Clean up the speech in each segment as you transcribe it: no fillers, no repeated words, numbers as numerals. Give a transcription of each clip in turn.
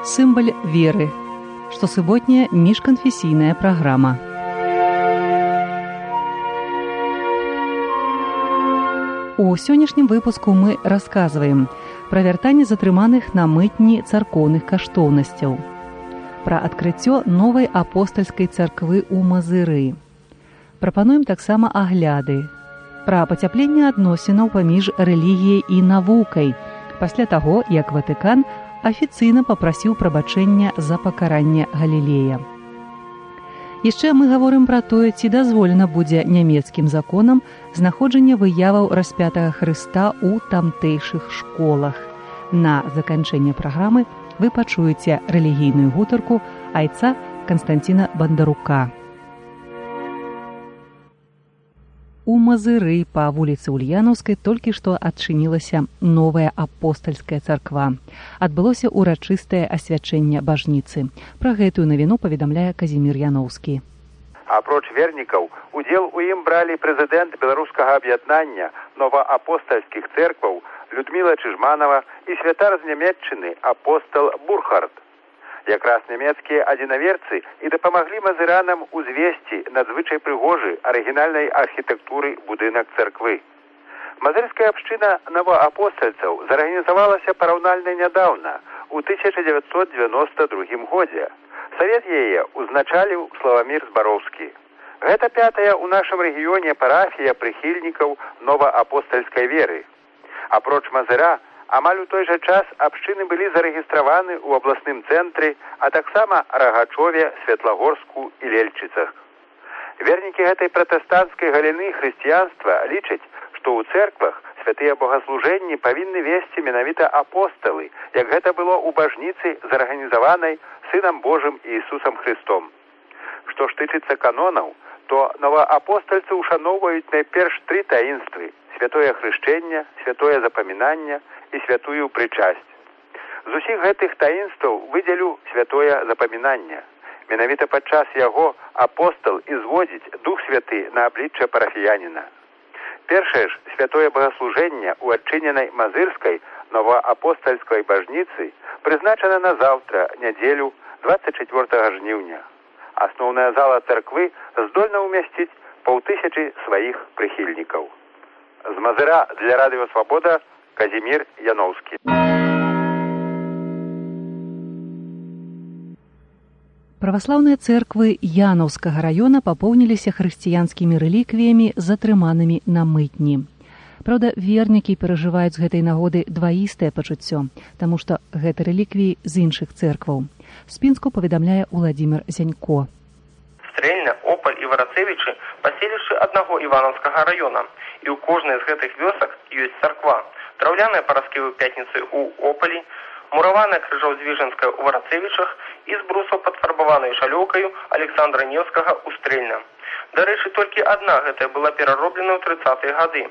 Сімвал веры. Штосуботняя міжканфесійная праграма. У сённяшнім выпуску мы расказваем пра вяртанне затрыманых на мытні царкоўных каштоўнасцяў, пра адкрыццё новай апостальскай царквы ў Мазыры. Прапануем таксама агляды, пра пацяпленне адносінаў паміж рэлігіяй і навукай пасля таго, як Ватыкан афіцыйна папрасіў прабачэння за пакаранне Галілея. Яшчэ мы гаворым пра тое, ці дазволена будзе нямецкім законам знаходжанне выяваў распятага Хрыста ў тамтэйшых школах. На заканчэнне праграмы вы пачуеце рэлігійную гутарку айца Канстанціна Бандарука. У Мазыры па вуліцы Ульянаўскай толькі што адчынілася новая апостальская царква. Адбылося ўрачыстае асвячэнне бажніцы. Пра гэтую навіну паведамляе Казімір Яноўскі. Апроч вернікаў, удзел у ім бралі прэзідэнт беларускага аб'яднання новаапостальскіх цэркваў Людміла Чыжманова і святар з Нямецчыны апостал Бурхард. Якраз нямецкія адзінаверцы і дапамаглі мазыранам узвесці надзвычай прыгожы арыгінальнай архітэктуры будынак царквы. Мазырская абшчына новаапостальцаў зарганізавалася параўнальна нядаўна, у 1992 годзе. Савет яе узначаліў Славамір Збароўскі. Гэта пятая ў нашым рэгіёне парафія прыхільнікаў новаапостальскай веры. Апроч Мазыра, амаль у той жа час абшчыны былі зарэгістраваны ў абласным цэнтры, а таксама Рагачове, Светлагорску і Лельчыцах. Вернікі гэтай пратэстанцкай галіны хрысціянства лічаць, што ў цэрквах святыя богаслужэнні павінны весці менавіта апосталы, як гэта было ў бажніцы, зарганізаванай Сынам Божым Ісусам Христом. Што ж тычыцца канонаў, то новаапостальцы ушаноўваюць найперш тры таінствы: святое хрышчэнне, святое запамінанне і святую прычасць. З усіх гэтых таінстваў выдзелю святое запамінанне. Менавіта падчас яго апостал і зводзіць Дух Святы на аблічча парафіяніна. Першае ж святое богаслужэнне ў адчыненай мазырскай новаапостальскай бажніцы прызначана на заўтра, нядзелю, 24 жніўня. Асноўная зала царквы здольна ўмясціць 500 сваіх прыхільнікаў. З Мазыра для Радыё Свабода Казімір Яноўскі. Праваслаўныя цэрквы Янаўскага раёна папоўніліся хрысціянскімі рэліквіямі, затрыманымі на мытні. Праўда, вернікі перажываюць з гэтай нагоды дваістае пачуццё, таму што гэта рэліквіі з іншых цэркваў. З Пінску паведамляе Уладзімір Зянько. Стрэльна, Опаль і Варацевічы паселішчы аднаго Іванаўскага раёна, і ў кожнай з гэтых вёсак ёсць царква. Драўляная параскевы пятніцы ў Опалі, мураваная крыжоў-звіжанская ў Варацевічах і з брусаў падфарбаванай шалёўкаю Александра Невскага ў Стрэльна. Дарэчы, толькі адна гэтая была перароблена ў 30-е гады,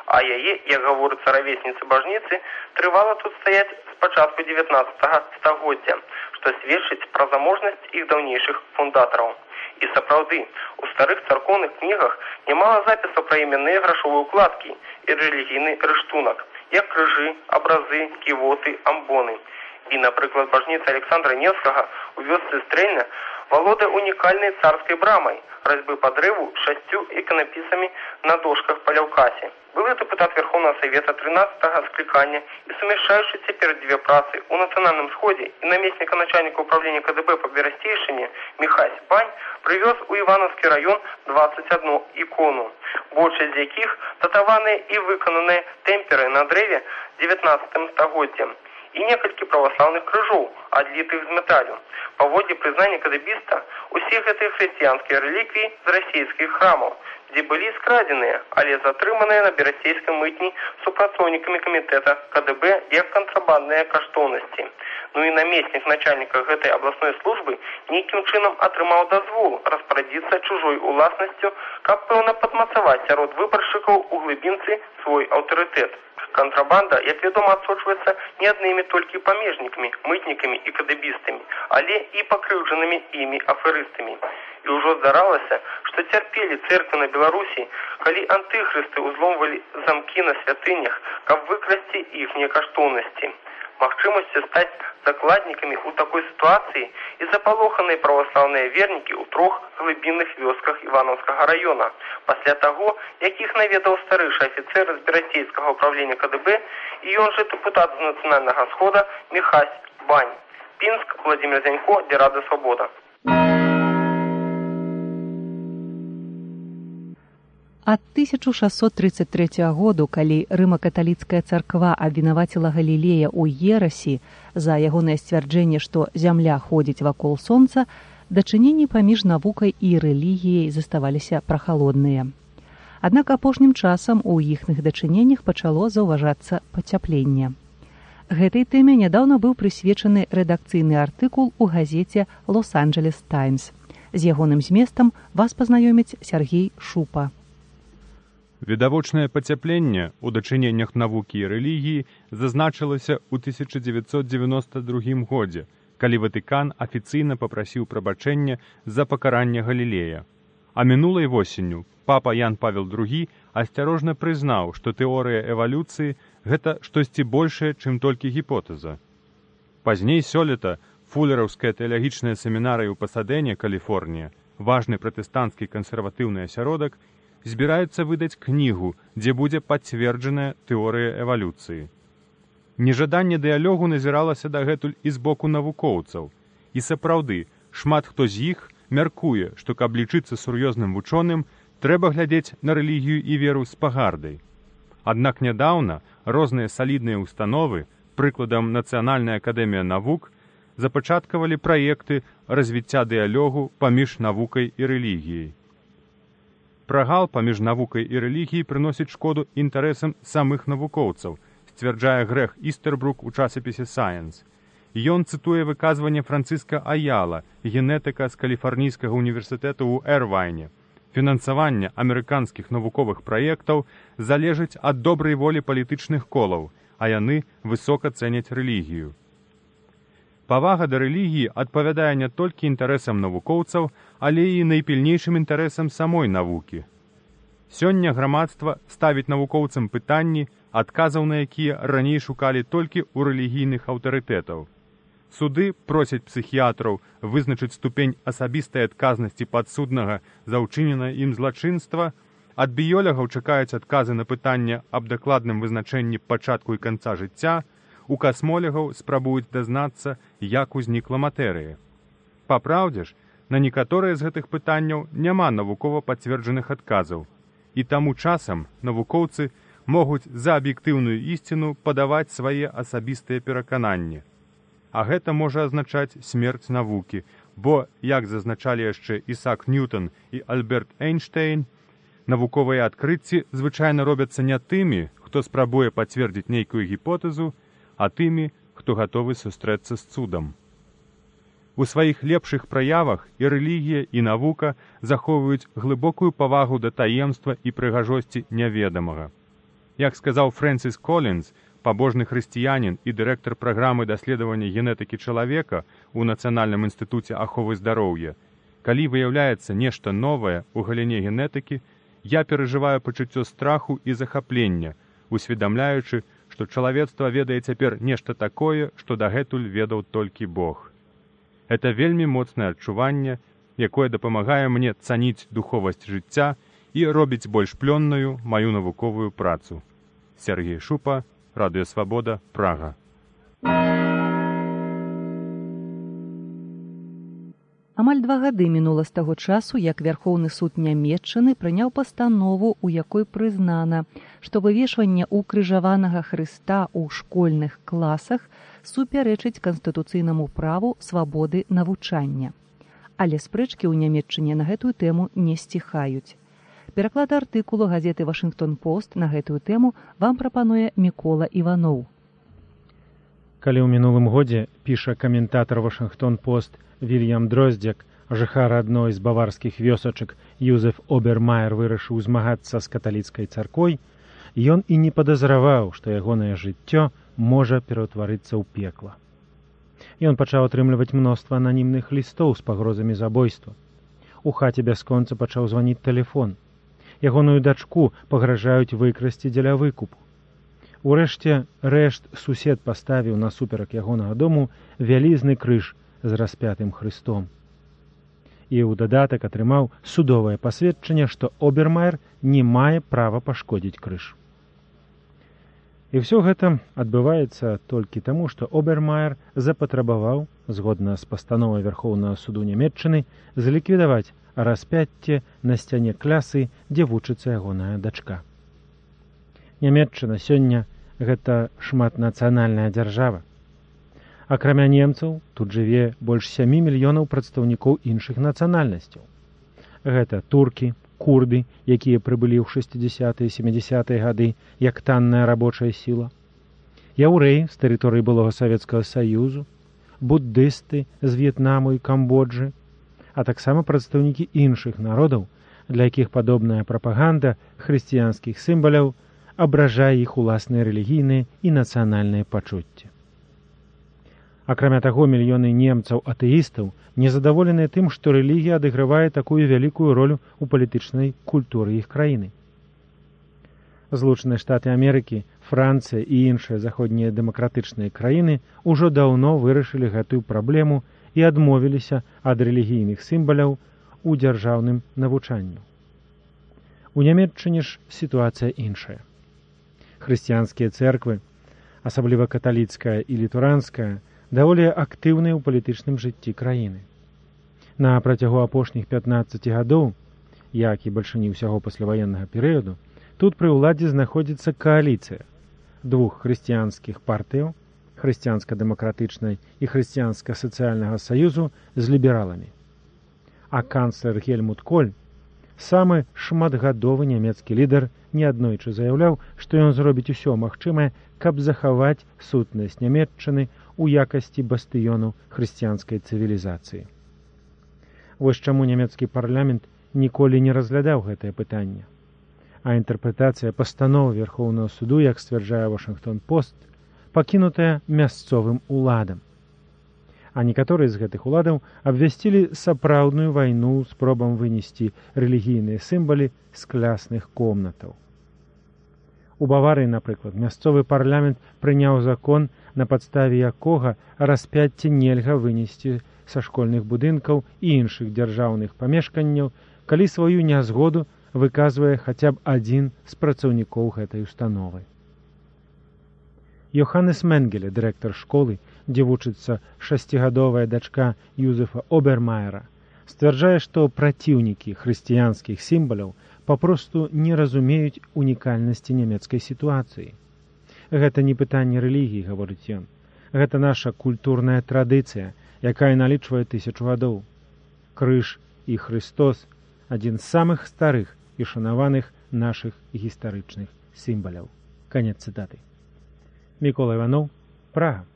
а яе, як гаворыцца равесніцы бажніцы, трывала тут стаяць з пачатку 19-го стагоддзя, што сведчыць пра заможнасць іх даўнейшых фундатараў. І сапраўды, у старых царкоўных кнігах нямала запісаў пра іменныя грашовыя ўкладкі і рэлігійны рыштунак, як крыжы, абразы, ківоты, амбоны. І, напрыклад, бажніца Александра Невскага у вёсцы Стрэльна валодае унікальнай царскай брамай, разьбы па дрэву з 6 іканапісамі на дошках па ляўкасе. Былы дэпутат Верховного Совета 13-го склікання і сумяшчаючы цяпер дзве працы ў Нацыянальным сходзе і намесніка начальніка управлення КДБ па Берасцейшыне Міхась Бань прывёз у Іванаўскі раён 21 ікону, большасць з якіх датаваныя і выкананыя тэмперы на дрэве 19 стагоддзем, і некалькі праваслаўных крыжоў, адлітых з металю. Паводле прызнання кадэбіста, усе гэтыя хрысціянскія рэліквіі з расійскіх храмаў, дзе былі скрадзеныя, але затрыманыя на берасцейскай мытні супрацоўнікамі камітэта КДБ як кантрабандныя каштоўнасці. Ну і намеснік начальніка гэтай абласной службы нейкім чынам атрымаў дазвол распарадзіцца чужой уласнасцю, каб пэўна падмацаваць сярод выбаршчыкаў у глыбінцы свой аўтарытэт. Контрабанда, як вядома, адсочваецца не аднымі толькі памежнікамі, мытнікамі і кадэбістамі, але і пакрыўджанымі імі аферыстамі. І ўжо здаралася, што цярпелі цэрквы на Беларусі, калі антыхрысты ўзломвалі замкі на святынях, каб выкрасці іхнія каштоўнасці. Магчымасцю стаць закладнікамі ў такой сітуацыі і запалоханыя праваслаўныя вернікі ў 3 глыбінных вёсках Івановскага района. Пасля таго, як іх наведаў старэйшы афіцэр з Берасцейскага ўправлення КДБ і ён жа дэпутат з Нацыянальнага схода Міхась Бань. Пінск, Владимир Зянько, для Рады Свабода. Ад 1633 году, калі рыма-каталіцкая царква абвінаваціла Галілея ў ерасі за ягонае сцвярджэнне, што зямля ходзіць вакол сонца, дачыненні паміж навукай і рэлігіяй заставаліся прахалодныя. Аднак апошнім часам у іхных дачыненнях пачало заўважацца пацяпленне. Гэтай тэме нядаўна быў прысвечаны рэдакцыйны артыкул у газеце «Лос-Анджелес Таймс». З ягоным зместам вас пазнаёміць Сергей Шупа. Відавочнае пацяпленне ў дачыненнях навукі і рэлігіі зазначылася ў 1992 годзе, калі Ватыкан афіцыйна папрасіў прабачэння за пакаранне Галілея. А мінулай восенню папа Ян Павел II асцярожна прызнаў, што тэорыя эвалюцыі гэта штосьці большае, чым толькі гіпотэза. Пазней сёлета фулераўская тэалагічная семінарыя ў Пасадэне, Каліфорнія, важны пратэстанцкі кансерватыўны асяродак, збіраецца выдаць кнігу, дзе будзе пацверджаная тэорыя эвалюцыі. Нежаданне дыялогу назіралася дагэтуль і з боку навукоўцаў. І сапраўды, шмат хто з іх мяркуе, што каб лічыцца сур'ёзным вучоным, трэба глядзець на рэлігію і веру з пагардай. Аднак нядаўна розныя салідныя установы, прыкладам Нацыянальная акадэмія навук, запачаткавалі праекты развіцця дыялогу паміж навукай і рэлігіяй. Прагал паміж навукай і рэлігіяй прыносіць шкоду інтарэсам самых навукоўцаў, сцвярджае Грег Істербрук у часопісе Science. Ён цытуе выказванне Францыска Аяла, генетыка з Каліфарнійскага універсітэту ў Эрвайне. Фінансаванне амерыканскіх навуковых праектаў залежыць ад добрай волі палітычных колаў, а яны высока цэняць рэлігію. Павага да рэлігіі адпавядае не толькі інтарэсам навукоўцаў, але і найпільнейшым інтарэсам самой навукі. Сёння грамадства ставіць навукоўцам пытанні, адказаў на якія раней шукалі толькі ў рэлігійных аўтарытэтаў. Суды просяць псіхіятраў вызначыць ступень асабістай адказнасці падсуднага за ўчыненае ім злачынства, ад біёлагаў чакаюць адказы на пытанне аб дакладным вызначэнні пачатку і канца жыцця, у касмолягаў спрабуюць дазнацца, як узнікла матэрыя. Па праўдзе ж, на некаторыя з гэтых пытанняў няма навукова пацверджаных адказаў, і таму часам навукоўцы могуць за аб'ектыўную ісціну падаваць свае асабістыя перакананні. А гэта можа азначаць смерць навукі, бо, як зазначалі яшчэ Ісаак Ньютон і Альберт Эйнштэйн, навуковыя адкрыцці звычайна робяцца не тымі, хто спрабуе пацвердзіць нейкую гіпотэзу, а тымі, хто гатовы сустрэцца з цудам. У сваіх лепшых праявах і рэлігія, і навука захоўваюць глыбокую павагу да таемства і прыгажосці няведамага. Як сказаў Фрэнсіс Колінз, пабожны хрысціянін і дырэктар праграмы даследавання генетыкі чалавека ў Нацыянальным інстытуце аховы здароўя, калі выяўляецца нешта новае ў галіне генетыкі, я перажываю пачуццё страху і захаплення, усведамляючы, што чалавецтва ведае цяпер нешта такое, што дагэтуль ведаў толькі Бог. Это вельмі моцнае адчуванне, якое дапамагае мне цаніць духовасць жыцця і робіць больш плённую маю навуковую працу. Сергей Шупа, Радыё Свабода, Прага. Амаль 2 гады мінула з таго часу, як Вярхоўны суд Нямецчыны прыняў пастанову, у якой прызнана, што вывешванне укрыжаванага Хрыста ў школьных класах супярэчыць канстытуцыйнаму праву свабоды навучання. Але спрэчкі ў Нямецчыне на гэтую тэму не сціхаюць. Пераклад артыкулу газеты «Вашынгтон-Пост» на гэтую тэму вам прапануе Мікола Іваноў. Калі ў мінулым годзе, піша каментатар «Вашынгтон-Пост» Вільям Дроздзяк, жыхар адной з баварскіх вёсачак Юзеф Обермайер вырашыў змагацца з каталіцкай царквой, ён і не падазраваў, што ягонае жыццё можа пераўтварыцца ў пекла. Ён пачаў атрымліваць мноства ананімных лістоў з пагрозамі забойства. У хаце бясконца пачаў званіць тэлефон. Ягоную дачку пагражаюць выкрасці дзеля выкупу. Урэшце рэшт сусед паставіў насуперак ягонага дому вялізны крыж з распятым Хрыстом. І ў дадатак атрымаў судовае пасведчанне, што Обермайер не мае права пашкодзіць крыж. І ўсё гэта адбываецца толькі таму, што Обермайер запатрабаваў, згодна з пастановай Вярхоўнага суду Нямецчыны, заліквідаваць распяцце на сцяне клясы, дзе вучыцца ягоная дачка. Нямецчына сёння гэта шматнацыянальная дзяржава. Акрамя немцаў, тут жыве больш 7 мільёнаў прадстаўнікоў іншых нацыянальнасцяў. Гэта туркі, курды, якія прыбылі ў 60-е і 70-е гады як танная рабочая сіла, яўрэі з тэрыторыі былога Савецкага Саюзу, буддысты з В'етнаму і Камбоджы, а таксама прадстаўнікі іншых народаў, для якіх падобная прапаганда хрысціянскіх сімваляў абражае іх уласныя рэлігійныя і нацыянальныя пачуцці. Акрамя таго, мільёны немцаў-атэістаў незадаволеныя тым, што рэлігія адыгрывае такую вялікую ролю ў палітычнай культуры іх краіны. Злучаныя Штаты Амерыкі, Францыя і іншыя заходнія дэмакратычныя краіны ўжо даўно вырашылі гэтую праблему і адмовіліся ад рэлігійных сімваляў у дзяржаўным навучанні. У Нямецчыне ж сітуацыя іншая. Хрысціянскія цэрквы, асабліва каталіцкая і літуранская, даволі актыўныя ў палітычным жыцці краіны. На працягу апошніх 15 гадоў, як і бальшыні ўсяго пасляваеннага перыяду, тут пры ўладзе знаходзіцца кааліцыя двух хрысціянскіх партыяў, хрысціянска-дэмакратычнай і хрысціянска-сацыяльнага саюзу з лібераламі. А канцлер Гельмут Коль, самы шматгадовы нямецкі лідар, неаднойчы заяўляў, што ён зробіць усё магчымае, каб захаваць сутнасць Нямецчыны у якасці бастыёну хрысціянскай цывілізацыі. Вось чаму нямецкі парламент ніколі не разглядаў гэтае пытанне. А інтэрпрэтацыя пастановы Верхоўнага суду, як сцвярджае Вашынгтон-Пост, пакінутая мясцовым уладам. А некаторыя з гэтых уладаў абвясцілі сапраўдную вайну спробам вынесці рэлігійныя сімвалы з клясных комнатаў. У Баварыі, напрыклад, мясцовы парламент прыняў закон, на падставе якога распяцце нельга вынесці са школьных будынкаў і іншых дзяржаўных памешканняў, калі сваю нязгоду выказвае хаця б адзін з працаўнікоў гэтай установы. Йоханнес Менгеле, дырэктар школы, дзе вучыцца 6гадовая дачка Юзефа Обермайера, сцвярджае, што праціўнікі хрысціянскіх сімваляў папросту не разумеюць унікальнасці нямецкай сітуацыі. Гэта не пытанне рэлігіі, гаворыць ён. Гэта наша культурная традыцыя, якая налічвае 1000 гадоў. Крыж і Хрыстос – адзін з самых старых і шанаваных нашых гістарычных сімваляў. Канец цытаты. Мікола Іванов, Прага.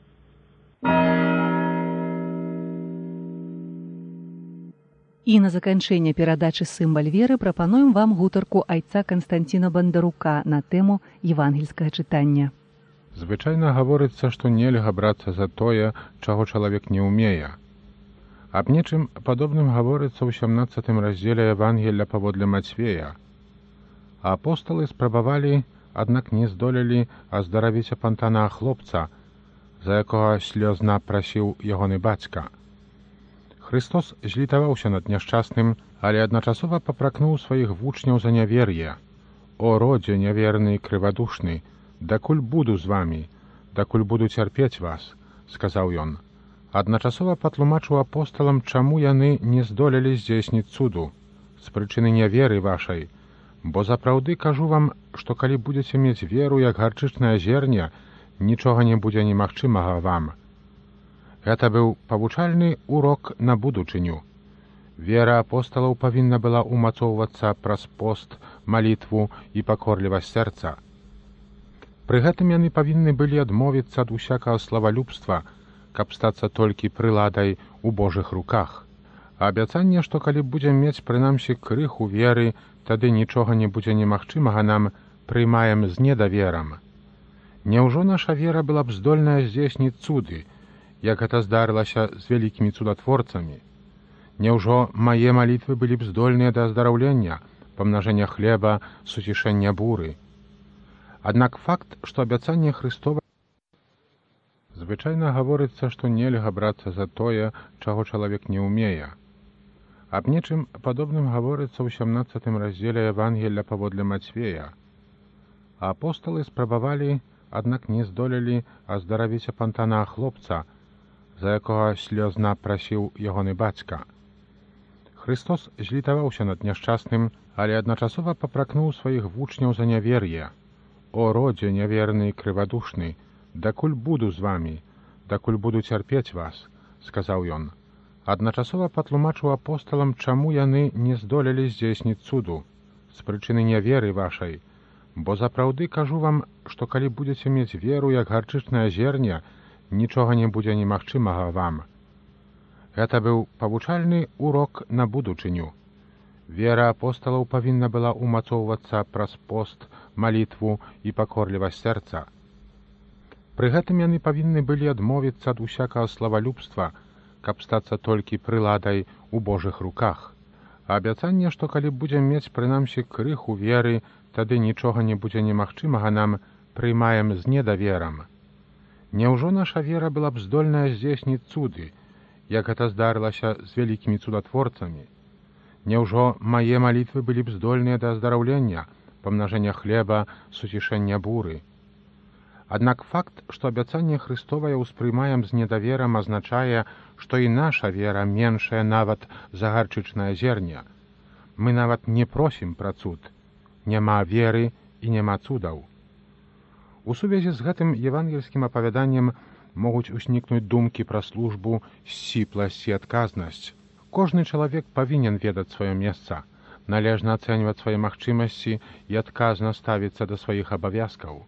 І на заканчэнне перадачы «Сімваль веры» прапануем вам гутарку айца Канстанціна Бандарука на тэму евангельскага чытання. Звычайна гаворыцца, што нельга брацца за тое, чаго чалавек не ўмее. Аб нечым падобным гаворыцца ў 17 раздзеле Евангелля паводле Мацвея. Апосталы спрабавалі, аднак не здолелі аздаравіць апантанага хлопца, за якога слёзна прасіў ягоны бацька. Христос злітаваўся над няшчасным, але адначасова папракнуў сваіх вучняў за нявер'е. «О, родзе няверны і крывадушны, дакуль буду з вамі, дакуль буду цярпець вас», — сказаў ён. Адначасова патлумачыў апосталам, чаму яны не здолелі здзейсніць цуду. «З прычыны няверы вашай, бо запраўды кажу вам, што калі будзеце мець веру, як гарчычнае зерне, нічога не будзе немагчымага вам». Гэта быў павучальны урок на будучыню. Вера апосталаў павінна была ўмацоўвацца праз пост, малітву і пакорлівасць сэрца. Пры гэтым яны павінны былі адмовіцца ад усякага славалюбства, каб стацца толькі прыладай у Божых руках. Абяцанне, што калі будзем мець прынамсі крыху веры, тады нічога не будзе немагчымага нам, прыймаем з недаверам. Няўжо наша вера была б здольная здзейсніць цуды, як гэта здарылася з вялікімі цудатворцамі? Няўжо мае малітвы былі б здольныя да аздараўлення, памнажэння хлеба, суцішэння буры? Аднак факт, што абяцанне Хрыстова звычайна гаворыцца, што нельга брацца за тое, чаго чалавек не ўмее. Аб нечым падобным гаворыцца ў 17 раздзеле Евангелля паводле Мацвея. Апосталы спрабавалі, аднак не здолелі аздаравіць апантанага хлопца, за якога слёзна прасіў ягоны бацька. Христос злітаваўся над няшчасным, але адначасова папракнуў сваіх вучняў за нявер'е. «О, родзе няверны і крывадушны, дакуль буду з вамі, дакуль буду цярпець вас», — сказаў ён. Адначасова патлумачыў апосталам, чаму яны не здолелі здзейсніць цуду, з прычыны няверы вашай, бо запраўды кажу вам, што калі будзеце мець веру, як гарчычнае зерне, нічога не будзе немагчымага вам. Гэта быў павучальны урок на будучыню. Вера апосталаў павінна была ўмацоўвацца праз пост, малітву і пакорлівасць сэрца. Пры гэтым яны павінны былі адмовіцца ад усякага славалюбства, каб стацца толькі прыладай у Божых руках. А абяцанне, што калі будзем мець прынамсі крыху веры, тады нічога не будзе немагчымага нам, прыймаем з недаверам. Няўжо наша вера была б здольная здзейсніць цуды, як гэта здарылася з вялікімі цудатворцамі? Няўжо мае малітвы былі б здольныя да аздараўлення, памнажэння хлеба, суцішэння буры? Аднак факт, што абяцанне Хрыстовае ўспрымаем з недаверам, азначае, што і наша вера меншая нават за гарчычнае зерне. Мы нават не просім пра цуд. Няма веры і няма цудаў. У сувязі з гэтым евангельскім апавяданнем могуць узнікнуць думкі пра службу, сціпласць і адказнасць. Кожны чалавек павінен ведаць сваё месца, належна ацэньваць свае магчымасці і адказна ставіцца да сваіх абавязкаў.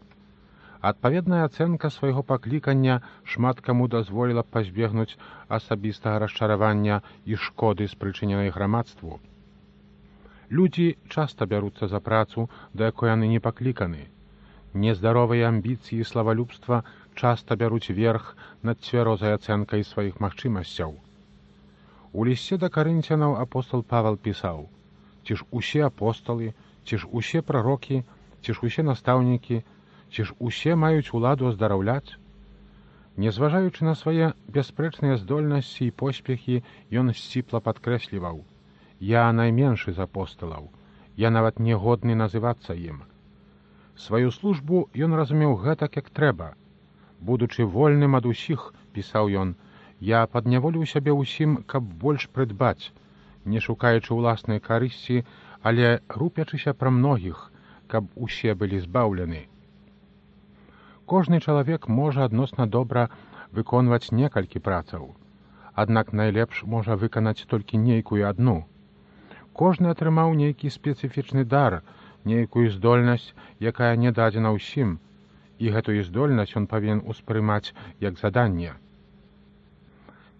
Адпаведная ацэнка свайго паклікання шмат каму дазволіла б пазбегнуць асабістага расчаравання і шкоды, спрычыненай грамадству. Людзі часта бяруцца за працу, да якой яны не пакліканы. Нездаровыя амбіцыі і славалюбства часта бяруць верх над цвярозай ацэнкай сваіх магчымасцяў. У лісце да карынцянаў апостал Павел пісаў: «Ці ж усе апосталы, ці ж усе прарокі, ці ж усе настаўнікі, ці ж усе маюць уладу аздараўляць?» Незважаючы на свае бясспрэчныя здольнасці і поспехі, ён сціпла падкрэсліваў: «Я найменшы з апосталаў, я нават не годны называцца ім». Сваю службу ён разумеў гэтак, як трэба. «Будучы вольным ад усіх, — пісаў ён, — я падняволіў сябе ўсім, каб больш прыдбаць, не шукаючы ўласнай карысці, але рупячыся пра многіх, каб усе былі збаўлены». Кожны чалавек можа адносна добра выконваць некалькі працаў, аднак найлепш можа выканаць толькі нейкую адну. Кожны атрымаў нейкі спецыфічны дар, нейкую здольнасць, якая не дадзена ўсім, і гэтую здольнасць ён павінен успрымаць як заданне.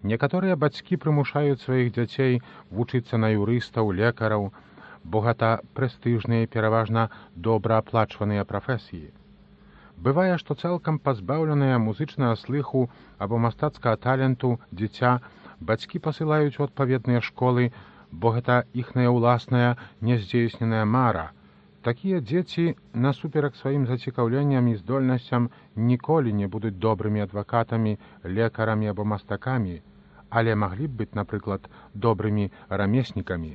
Некаторыя бацькі прымушаюць сваіх дзяцей вучыцца на юрыстаў, лекараў, бо гэта прэстыжныя і пераважна добра аплачваныя прафесіі. Бывае, што цалкам пазбаўленыя музычнага слыху або мастацкага таленту дзіця бацькі пасылаюць у адпаведныя школы, бо гэта іхная ўласная няздзейсненая мара. Такія дзеці, насуперак сваім зацікаўленням і здольнасцям, ніколі не будуць добрымі адвакатамі, лекарамі або мастакамі, але маглі б быць, напрыклад, добрымі рамеснікамі.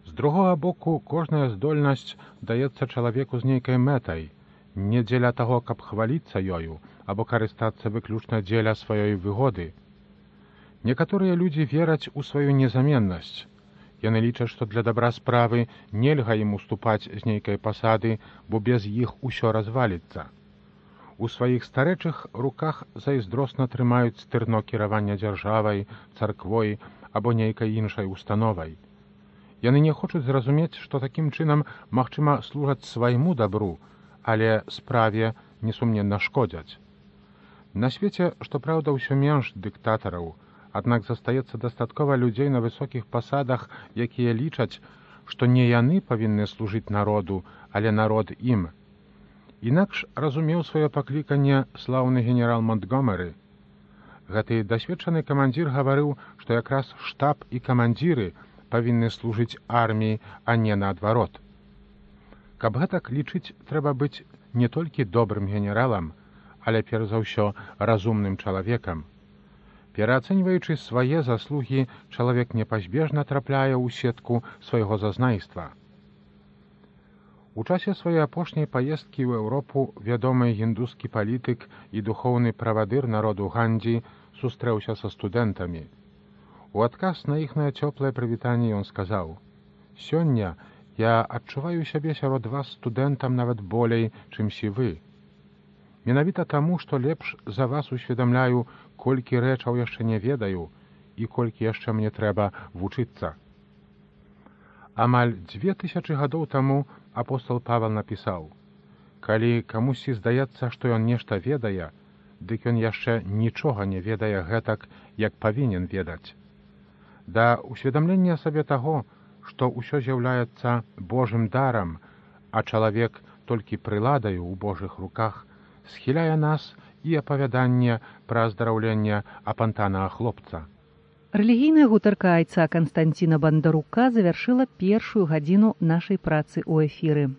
З другога боку, кожная здольнасць даецца чалавеку з нейкай мэтай, не дзеля таго, каб хваліцца ёю, або карыстацца выключна дзеля сваёй выгоды. Некаторыя людзі вераць у сваю незаменнасць. Яны лічаць, што для дабра справы нельга ім уступаць з нейкай пасады, бо без іх усё разваліцца. У сваіх старэчых руках зайздросна трымаюць стырно кіравання дзяржавай, царквой або нейкай іншай установай. Яны не хочуць зразумець, што такім чынам, магчыма, служаць свайму дабру, але справе несумненна шкодзяць. На свеце, што праўда, усё менш дыктатараў, аднак застаецца дастаткова людзей на высокіх пасадах, якія лічаць, што не яны павінны служыць народу, але народ ім. Інакш разумеў сваё пакліканне слаўны генерал Монтгомеры. Гэты дасведчаны камандзір гаварыў, што якраз штаб і камандзіры павінны служыць арміі, а не наадварот. Каб гэтак лічыць, трэба быць не толькі добрым генералам, але перш за ўсё разумным чалавекам. Пераацэньваючы свае заслугі, чалавек непазбежна трапляе ў сетку свайго зазнайства. У часе сваёй апошняй паездкі ў Еўропу вядомы індускі палітык і духоўны правадыр народу Гандзі сустрэўся са студэнтамі. У адказ на іхнае цёплае прывітанне ён сказаў: «Сёння я адчуваю сябе сярод вас студэнтам нават болей, чымсі вы. Менавіта таму, што лепш за вас усведамляю, колькі рэчаў яшчэ не ведаю і колькі яшчэ мне трэба вучыцца». Амаль 2000 гадоў таму апостол Павел напісаў: «Калі камусьці здаецца, што ён нешта ведае, дык ён яшчэ нічога не ведае гэтак, як павінен ведаць». Да усведамлення сабе таго, што ўсё з'яўляецца Божым дарам, а чалавек толькі прыладаю ў Божых руках, схіляе нас і апавяданне пра аздараўленне апантанага хлопца. Рэлігійная гутарка айца Канстанціна Бандарука завяршыла першую гадзіну нашай працы ў эфіры.